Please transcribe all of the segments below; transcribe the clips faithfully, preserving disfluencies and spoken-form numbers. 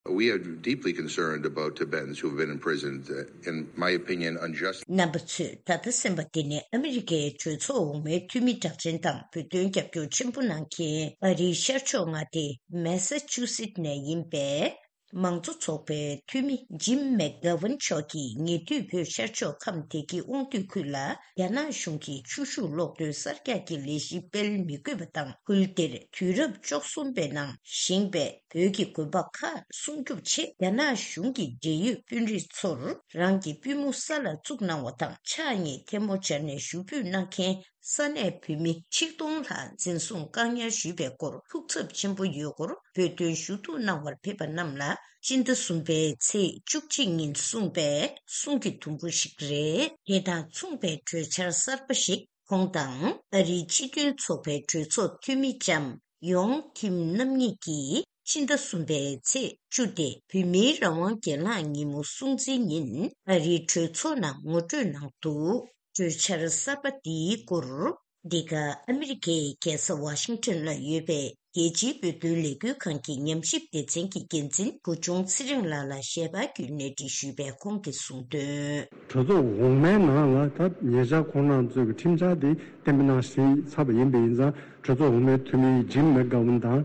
We are deeply concerned about Tibetans who have been imprisoned, uh, in my opinion, unjustly. རྣམ་པ་ཚོས་ད་ལྟ་གསན་པ་འདི་ནི་ཨ་མི་རི་ཀའི་གྲོས་ཚོགས་འོག་མའི་འཐུས་མི་གྲགས་ཅན་དང་བོད་དོན་རྒྱབ་སྐྱོར་ཆེན་པོ་གནང་མཁན་ཨ་རིའི་ཤར་ཕྱོགས་མངའ་སྡེ་མེ་ས་ཆུ་སིད་ནས་ཡིན་པའི་མང་གཙོ་ཚོགས་པའི་འཐུས་མི་ཇིམ་མེག་གྷ་ཝན་མཆོག་གིས་ཉེ་དུས་བོད་ཤར་ཕྱོགས་ཁམས་བདེ་སྐྱིད་དབང་འདུས་ཁུལ་ལ་རྒྱ་ནག་གཞུང་གིས་ཆུ་ཤུགས་གློག་འདོན་གསར་རྒྱག་གི་ལས་གཞི་སྤེལ་མི་དགོས་པ་དང་ཁུལ་དེར་དུས་རབས་བཅུ་གསུམ་པའི་ནང་བཞེངས་པའི་བོད་ཀྱི་དགོན་པ་ཁག་སྲུང་སྐྱོབ་ཆེད་རྒྱ་ནག་གཞུང་གི་འབྲེལ་ཡོད་དཔོན་རིགས་ཚོར་རང་གི་པུས་མོ་ས་ལ་བཙུགས་གནང་བ་དང་ཕྱག་གཉིས་ཐལ་མོ་སྦྱར་ནས་ཞུ་འབོད་གནང་མཁན་ས་གནས་བོད་མི་ཆིག་སྟོང་ལྷག་འཛིན་བཟུང་བཀག་ཉར་ཞུས་པའི་སྐོར་ཐུགས་འཚབ་ཆེན་པོ་ཡོད་སྐོར་བོད་དོན་ཞུ་གཏུག་གནང་བར་ཕེབས་པ་རྣམས་ལ་སྤྱི་ཟླ་གསུམ་པའི་ཚེས་བཅུ་གཅིག་ཉིན་གསུངས་པའི་གསུང་གི་དུམ་བུ་ཞིག་རེད། དེ་དང་མཚུངས་པའི་གྲོས་འཆར་གསར་པ་ཞིག་ཁོང་དང་ཨ་རིའི་སྤྱི་མཐུན་ཚོགས་པའི་གྲོས་ཚོགས་འཐུས་མི་ལྕམ་ཡོང་ཁིམ་རྣམ་གཉིས་ཀྱིས་ཕྱི་ཟླ་གསུམ་པའི་ཚེས་བཅུ་སྟེ་བོད་མིའི་རང་དབང་སྒེར་ལངས་ཉིན་མོ་སྲུང་བརྩིའི་ཉིན་ཨ་རིའི་གྲོས་ཚོགས་ནང་ངོ་སྤྲོད་གནང་འདུག་གྲོས་འཆར་གསར་པ་འདིའི་སྐོར། འདི་ག་ཨ་མི་རི་ཀའི་རྒྱལ་ས་ཝ་ཤིང་ཊོན་ལ་ཡོད་པའི་རྒྱལ་སྤྱིའི་བོད་དོན་ལས་འགུལ་ཁང་གི་ཉམས་ཞིབ་སྡེ་ཚན་གྱི་འགན་འཛིན་བུ་ཆུང་ཚེ་རིང་ལགས་ལ་ཞལ་པར་བརྒྱུད་གནས་འདྲི་ཞུས་པའི་ཁོང་གིས་གསུངས་དོན། གྲོས་ཚོགས་འོག་མའི་ནང་ལ་ད་ཉེ་ཆར་ཁོང་རྣམ་ཚོས་ཀྱི་ཁྲིམས་འཆར་དེ་གཏན་འབེབས་གནང་ཞིག་ཚར་བ་ཡིན་པ་ཡིན་ཙང་གྲོས་ཚོགས་འོག་མའི་འཐུས་མི་ཇིམ་མེག་གྷ་ཝན་དང་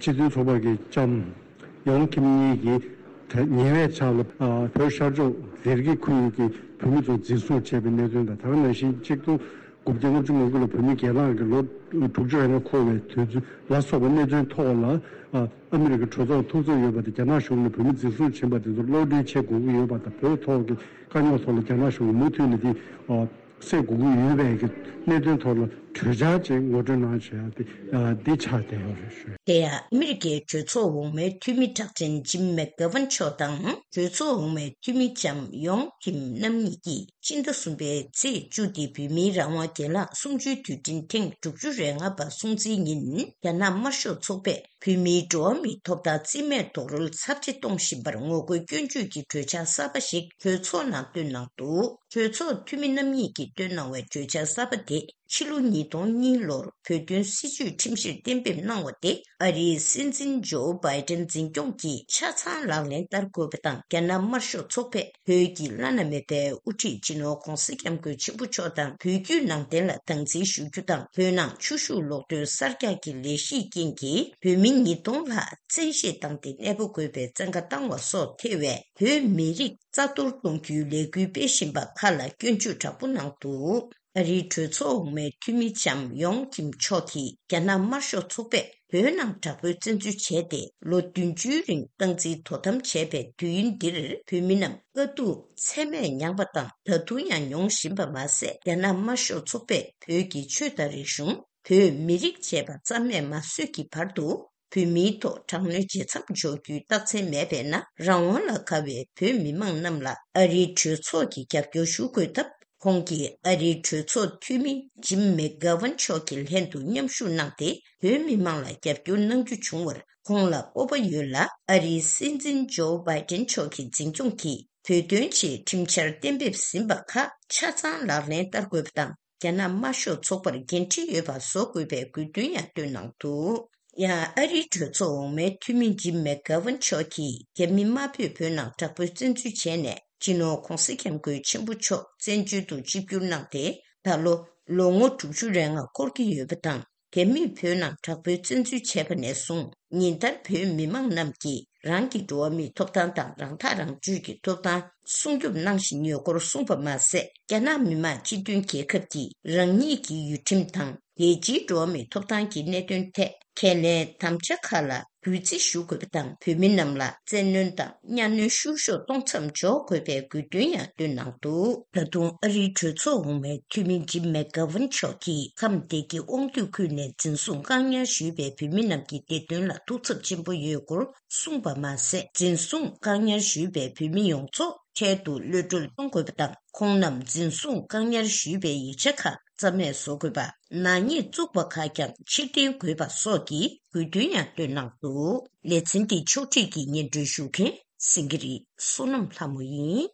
སྤྱི་མཐུན་ཚོགས་པ་གི་ལྕམ་ཡོང་ཁིམ་གཉིས་ཀྱིས་ད་ཉེ་བའི་ཆར་ལ་བོད་ཤར་ཕྱོགས་ལྡེ་རྒྱ་ཁུལ་གྱི་བོད་མི་ཚོ་འཛིན་བཟུང་བྱས་པའི་གནད་དོན་དང་ད་ག་ནང་བཞིན་གཅིག་སྟོང་དགུ་བརྒྱ་ལྔ་བཅུ་ང་དགུ་ལ་བོད་མི་སྒེར་ལངས་ཀྱི་ལོ་དྲུག་ཅུ་རེ་ལྔ་འཁོར་བའི་དུས་ཚོད་ལ་སོགས་པའི་གནད་དོན་ཐོག་ལ་ཨ་མི་རི་ཀའི་གྲོས་ཚོགས་ཐུགས་འཚབ་ཡོད་པ་དང་རྒྱ་ནག་གཞུང་ནས་བོད་མི་འཛིན་བཟུང་ཕྱིན་པ་དེ་ཚོར་གློད་གྲོལ་བྱེད་དགོས་ཀྱི་ཡོད་པ་དང་བོད་ཐོག་གི་དཀའ་རྙོག་ཐོག་ལ་རྒྱ་ནག་གཞུང་གིས་མུ་མཐུད་ནས་དེ་སེལ་དགོས་ཀྱི་ཡོད་པའི་གི་གནད་དོན་ཐོག་ལ་གྲོས་འཆར་ཅིག་ངོ་སྤྲོད་གནང་བྱས་ཏེ་འདི་ཆགས་བསྡད་ཡོད་རེད་ཞུ། དེ་ཡང་ཨ་མི་རི་ཀའི་གྲོས་ཚོགས་འོག་མའི་འཐུས་མི་གྲགས་ཅན་ཇིམ་མེག་གྷ་ཝན་མཆོག་དང་གྲོས་ཚོགས་འོག་མའི་འཐུས་མི་ལྕམ་ཡོང་ཁིམ་རྣམ་གཉིས་ཀྱིས་སྤྱི་ཟླ་གསུམ་པའི་ཚེས་བཅུ་སྟེ་བོད་མིའི་རང་དབང་སྒེར་ལངས་གསུམ་བཅུའི་དུས་དྲན་ཐེངས་དྲུག་ཅུ་རེ་ལྔ་པ་སྲུང་བརྩིའི་ཉིན་རྒྱ་ནག་དམར་ཤོག་ཚོགས་པས་བོད་མིའི་འགྲོ་བ་མིའི་ཐོབ་ཐང་རྩིས་མེད་རྡོག་རོལ་ཚབས་ཆེ་གཏོང་བཞིན་པར་ངོ་རྒོལ་སྐྱོན་བརྗོད་ཀྱི་གྲོས་འཆར་གསར་པ་ཞིག་གྲོས་ཚོགས་ནང་བཏོན་གནང་འདུག་གྲོས་ཚོགས་འཐུས་མི་རྣམ་གཉིས་ཀྱིས་བཏོན་གནང་བའི་གྲོས་འཆར་གསར་པ་དེ་ཕྱི་ལོ་ཉིས་སྟོང་གཉིས་ལོར་བོད་དོན་སྲིད་བྱུས་ཁྲིམས་གཞིར་གཏན་འབེབས་གནང་བ་དེ་ཨ་རིའི་སྲིད་འཛིན་ཇོ་བྷའི་ཏན་འཛིན་སྐྱོང་གིས་ཆ་ཚང་ལག་ལེན་བསྟར་དགོས་པ་དང་རྒྱ་ནག་དམར་ཤོག་ཚོགས་པས་བོད་ཀྱི་བླ་ན་མེད་པའི་དབུ་ཁྲིད་སྤྱི་ནོར་༧གོང་ས་༧སྐྱབས་མགོན་ཆེན་པོ་མཆོག་དང་བོད་བརྒྱུད་ནང་བསྟན་ལ་སྡང་འཛིན་ཞུ་རྒྱུ་དང་བོད་ནང་ཆུ་ཤུགས་གློག་འདོན་གསར་རྒྱག་གི་ལས་གཞིའི་རྐྱེན་གྱིས་བོད་མི་ཉིས་སྟོང་ལྷག་བཙན་ཤེད་བཏང་སྟེ་གནས་སྤོ་དགོས་པའི་བཙན་བཀའ་བཏང་བ་སོགས་ཐེ་བའི་བོད་མི་རིགས་རྩ་གཏོར་གཏོང་རྒྱུའི་ལས་འགུལ་སྤེལ་བཞིན་པ་ཁག་ལ་སྐྱོན་བརྗོད་དྲག་པོ་གནང་འདུག་ཨ་རིའི་གྲོས་ཚོགས་འོག་མའི་འཐུས་མི་ལྕམ་ཡོང་ཁིམ་མཆོག་གིས་རྒྱ་ནག་དམར་ཤོག་ཚོགས་པས་བོད་ནང་དྲག་པོའི་བཙན་འཛུལ་བྱས་ཏེ་ལོ་བདུན་ཅུའི་རིང་སྟངས་འཛིན་དོ་དམ་བྱས་པའི་དུས་ཡུན་འདིར་བོད་མི་རྣམས་དཀའ་སྡུག་ཚད་མེད་མྱངས་པ་དང་ད་དུང་ཡང་མྱོང་བཞིན་པ་མ་ཟད། རྒྱ་ནག་དམར་ཤོག་ཚོགས་པས་བོད་ཀྱི་ཆོས་དང་རིག་གཞུང་། བོད་མི་རིགས་བཅས་པ་རྩ་མེད་མ་བཟོས་ཀྱི་བར་དུ། བོད་མིའི་ཐོག་དྲག་གནོན་ཇེ་མཚམས་འཇོག་རྒྱུའི་རྟགས་མཚན་མེད་པས་ན། རང་དབང་ལ་དགའ་བའི་བོད་མི་མང་རྣམས་ལ་ཨ་རིའི་གྲོས་ཚོགས་ཀྱིས་རྒྱབ་སྐྱོར་ཞུ་དགོས་སྟབས། ཁོང་གིས་ཨ་རིའི་གྲོས་ཚོགས་འཐུས་མི་ཇིམ་མེག་གྷ་ཝན་མཆོག་གི་ལྷན་དུ་མཉམ་ཞུགས་གནང་སྟེ། བོད་མི་མང་ལ་རྒྱབ་སྐྱོར་གནང་རྒྱུ་བྱུང་བར་ཁོང་ལ་སྤོབས་པ་ཡོད་ལ། ཨ་རིའི་སྲིད་འཛིན་ཇོ་བྷའི་ཏན་མཆོག་གི་འཛིན་སྐྱོང་གིས་བོད་དོན་ཆེད་ཁྲིམས་འཆར་གཏན་འབེབས་ཟིན་པ་ཁག་ཆ་ཚང་ལག་ལེན་བསྟར་དགོས་པ་དང་། རྒྱ་ནག་དམར་ཤོག་ཚོགས་པར་འགན་འཁྲི་ཡོད་པ་བཟོ་དགོས་པའི་དགོས་འདུན་ཡང་བཏོན་གནང་འདུག་ཡང་ཨ་རིའི་གྲོས་ཚོགས་འོག་མའི་འཐུས་མི་ཇིམ་མེག་གྷ་ཝན་མཆོག་གིས་རྒྱ་མི་དམར་པོས་བོད་ནང་དྲག་པོའི་བཙན་འཛུལ་བྱས་ནས། སྤྱི་ནོར་༧གོང་ས་༧སྐྱབས་མགོན་ཆེན་པོ་མཆོག་བཙན་བྱོལ་དུ་ཆིབས་བསྒྱུར་གནང་སྟེ། ད་ལོ་ལོ་ངོ་དྲུག་ཅུ་རེ་ལྔ་འཁོར་གྱི་ཡོད་པ་དང་། རྒྱ་མིས་བོད་ནང་དྲག་པོའི་བཙན་འཛུལ་བྱས་པ་ནས་བཟུང་ཉིན་ལྟར་བོད་མི་མང་རྣམས་ཀྱིས་རང་གི་འགྲོ་བ་མིའི་ཐོབ་ཐང་དང་རང་ཐག་རང་གཅོད་ཀྱི་ཐོབ་ཐང་སྲུང་སྐྱོབ་གནང་བཞིན་ཡོད་སྐོར་གསུངས་པ་མ་ཟད། རྒྱ་ནག་མི་དམངས་སྤྱི་མཐུན་རྒྱལ་ཁབ་ཀྱིས་རང་ཉིད་ཀྱི་ཡུལ་ཁྲིམས་དང་རྒྱལ་སྤྱིའི་འགྲོ་བ་མིའི་ཐོབ་ཐང་གི་གནད་དོན་ཐད་ཁས་ལེན་དམ་བཅའ་ཁག་ལ་གུས་བརྩི་ཞུ་དགོས་པ་དང་། བོད་མི་རྣམས་ལ་བཙན་གནོན་དང་གཉའ་གནོན་བཤུ་གཞོག་གཏོང་མཚམས་འཇོག་དགོས་པའི་དགོས་འདུན་ཡང་བཏོན་གནང་འདུག་ད་དུང་ཨ་རིའི་གྲོས་ཚོགས་འོག་མའི་འཐུས་མི་ཇིམ་མེག་གྷ་ཝན་མཆོག་གིས་ཁམས་བདེ་སྐྱིད་དབང་འདུས་ཁུལ་ནས་འཛིན་བཟུང་བཀག་ཉར་ཞུས་པའི་བོད་མི་རྣམས་ཀྱི་བདེ་དོན་ལ་ཐུགས་འཚབ་ཆེན་པོ་ཡོད་སྐོར་གསུངས་པ་མ་ཟད། འཛིན་བཟུང་བཀག་ཉར་ཞུས་པའི་བོད་མི་ཡོངས་རྫོགས་འཕྲལ་དུ་གློད་གྲོལ་གཏོང་དགོས་པ་དང་། ཁོང་རྣམས་འཛིན་བཟུང་བཀག་ཉར་ཞུས་པའི་ཡིག་ཆ་ཁག་རྩ་མེད་བཟོ་དགོས་པ། ནག་ཉེས་བཙུགས་པ་ཁག་ཀྱང་ཕྱིར་འཐེན་དགོས་པ་སོགས་ཀྱི་དགོས་འདུན་ཡང་བཏོན་གནང་འདུག་ལེ་ཚན་འདི་ཕྱོགས་སྒྲིག་གིས་སྙན་སྒྲོན་ཞུ་མཁན་སེང་གེ་རི་བསོད་ནམས་ལྷ་མོ་ཡིན།